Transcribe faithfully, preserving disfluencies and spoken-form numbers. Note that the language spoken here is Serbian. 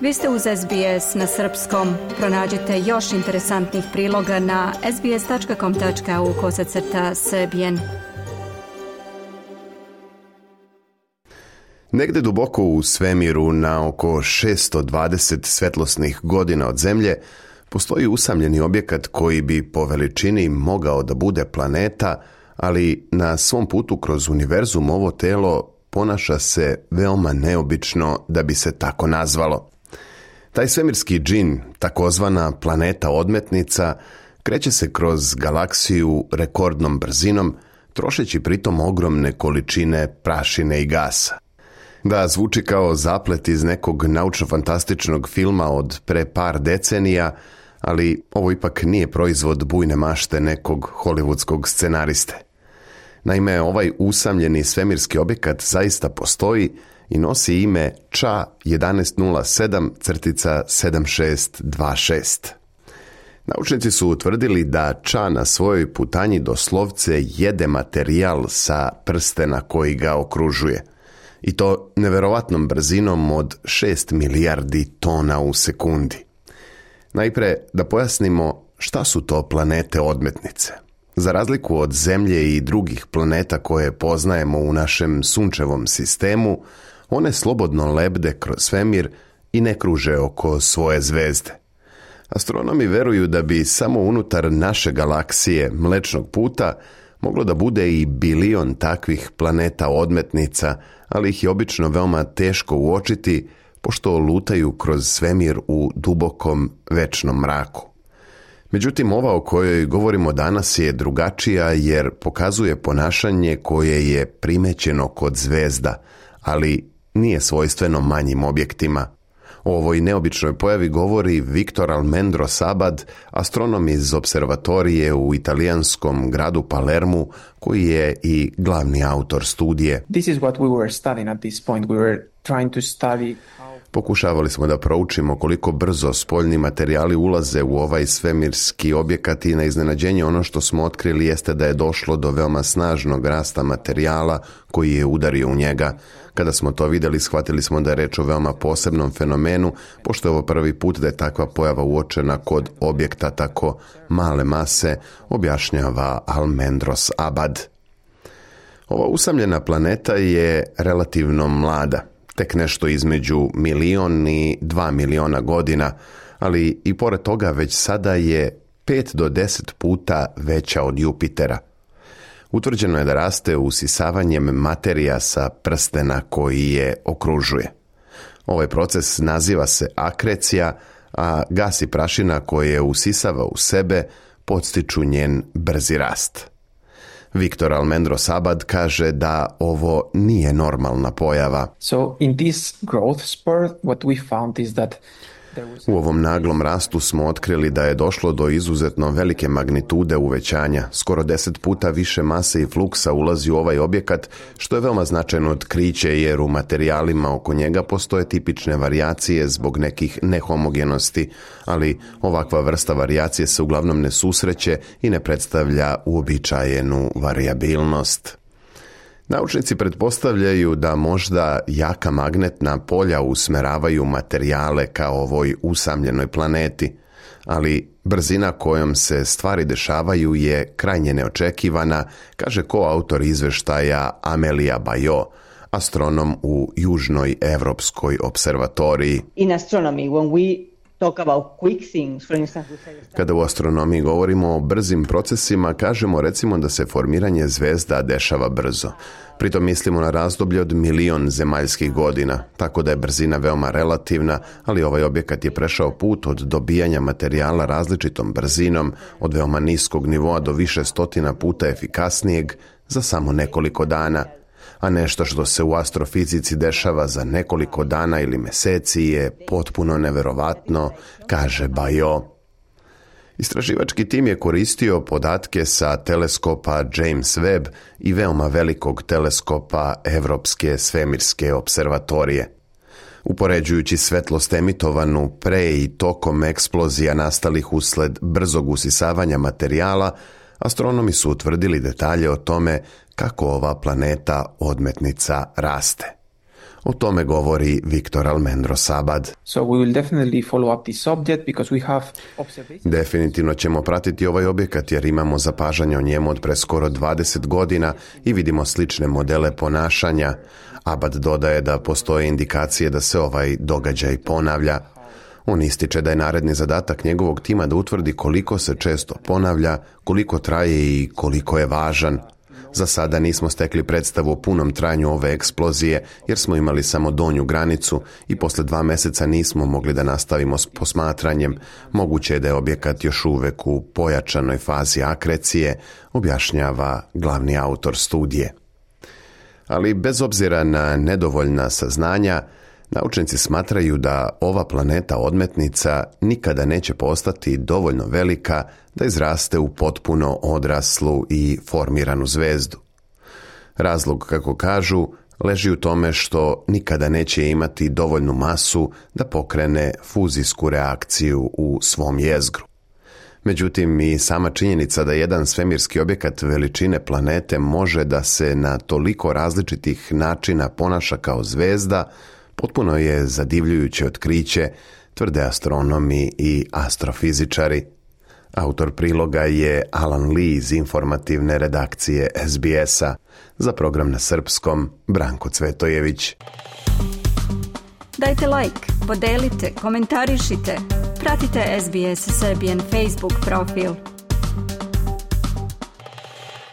Vi ste uz S B S na srpskom. Pronađite još interesantnih priloga na sbs.com.au kosacrta srbijen. Negde duboko u svemiru, na oko šesto dvadeset svetlosnih godina od Zemlje, postoji usamljeni objekat koji bi po veličini mogao da bude planeta, ali na svom putu kroz univerzum ovo telo ponaša se veoma neobično da bi se tako nazvalo. Taj svemirski džin, takozvana planeta odmetnica, kreće se kroz galaksiju rekordnom brzinom, trošeći pritom ogromne količine prašine i gasa. Da, zvuči kao zaplet iz nekog naučno-fantastičnog filma od pre par decenija, ali ovo ipak nije proizvod bujne mašte nekog hollywoodskog scenariste. Naime, ovaj usamljeni svemirski objekat zaista postoji i nosi ime Ča jedanaest nula sedam sedam šest dva šest. Naučnici su utvrdili da Ča na svojoj putanji doslovce jede materijal sa prstena koji ga okružuje. I to neverovatnom brzinom od šest milijardi tona u sekundi. Najpre da pojasnimo šta su to planete odmetnice. Za razliku od Zemlje i drugih planeta koje poznajemo u našem sunčevom sistemu, one slobodno lebde kroz svemir i ne kruže oko svoje zvezde. Astronomi veruju da bi samo unutar naše galaksije Mlečnog puta moglo da bude i bilion takvih planeta odmetnica, ali ih je obično veoma teško uočiti, pošto lutaju kroz svemir u dubokom večnom mraku. Međutim, ova o kojoj govorimo danas je drugačija jer pokazuje ponašanje koje je primećeno kod zvezda, ali nije svojstveno manjim objektima. O ovoj neobičnoj pojavi govori Victor Almendros Abad, astronom iz observatorije u italijanskom gradu Palermu, koji je i glavni autor studije. This is what we were studying at this point. We were trying to study Pokušavali smo da proučimo koliko brzo spoljni materijali ulaze u ovaj svemirski objekat i na iznenađenje ono što smo otkrili jeste da je došlo do veoma snažnog rasta materijala koji je udario u njega. Kada smo to vidjeli, shvatili smo da je reč o veoma posebnom fenomenu, pošto je ovo prvi put da je takva pojava uočena kod objekta tako male mase, objašnjava Almendros Abad. Ova usamljena planeta je relativno mlada, tek nešto između milion i dva miliona godina, ali i pored toga već sada je pet do deset puta veća od Jupitera. Utvrđeno je da raste usisavanjem materija sa prstena koji je okružuje. Ovaj proces naziva se akrecija, a gas i prašina koje usisava u sebe podstiču njen brzi rast. Victor Almendros Abad kaže da ovo nije normalna pojava. So in this growth spurt, what we found is that U ovom naglom rastu smo otkrili da je došlo do izuzetno velike magnitude uvećanja. Skoro deset puta više mase i fluksa ulazi u ovaj objekat, što je veoma značajno otkriće jer u materijalima oko njega postoje tipične varijacije zbog nekih nehomogenosti, ali ovakva vrsta varijacije se uglavnom ne susreće i ne predstavlja uobičajenu varijabilnost. Naučnici pretpostavljaju da možda jaka magnetna polja usmeravaju materijale kao ovoj usamljenoj planeti, ali brzina kojom se stvari dešavaju je krajnje neočekivana, kaže koautor izveštaja Amelia Bajo, astronom u Južnoj Evropskoj observatoriji. In astronomy, when we talk about quick things, for instance, Kada u astronomiji govorimo o brzim procesima, kažemo recimo da se formiranje zvezda dešava brzo. Pritom mislimo na razdoblje od milion zemaljskih godina, tako da je brzina veoma relativna, ali ovaj objekat je prešao put od dobijanja materijala različitom brzinom, od veoma niskog nivoa do više stotina puta efikasnijeg za samo nekoliko dana. A nešto što se u astrofizici dešava za nekoliko dana ili meseci je potpuno neverovatno, kaže Bajo. Istraživački tim je koristio podatke sa teleskopa James Webb i veoma velikog teleskopa Evropske svemirske observatorije. Upoređujući svetlost emitovanu pre i tokom eksplozija nastalih usled brzog usisavanja materijala, astronomi su utvrdili detalje o tome kako ova planeta odmetnica raste. O tome govori Viktor Almendro Sabad. So we will definitely follow up this subject because we have observations. Definitivno ćemo pratiti ovaj objekat jer imamo zapažanja o njemu od pre skoro dvadeset godina i vidimo slične modele ponašanja. Abad dodaje da postoje indikacije da se ovaj događaj ponavlja. On ističe da je naredni zadatak njegovog tima da utvrdi koliko se često ponavlja, koliko traje i koliko je važan. Za sada nismo stekli predstavu o punom trajanju ove eksplozije jer smo imali samo donju granicu i posle dva meseca nismo mogli da nastavimo s posmatranjem. Moguće je da je objekat još uvek u pojačanoj fazi akrecije, objašnjava glavni autor studije. Ali bez obzira na nedovoljna saznanja, naučnici smatraju da ova planeta odmetnica nikada neće postati dovoljno velika da izraste u potpuno odraslu i formiranu zvezdu. Razlog, kako kažu, leži u tome što nikada neće imati dovoljnu masu da pokrene fuzijsku reakciju u svom jezgru. Međutim, i sama činjenica da jedan svemirski objekat veličine planete može da se na toliko različitih načina ponaša kao zvezda potpuno je zadivljujuće otkriće, tvrde astronomi i astrofizičari. Autor priloga je Alan Lee iz informativne redakcije S B S-a. Za program na srpskom, Branko Cvetojević. Dajte like, podelite, komentarišite. Pratite S B S Serbian Facebook profil.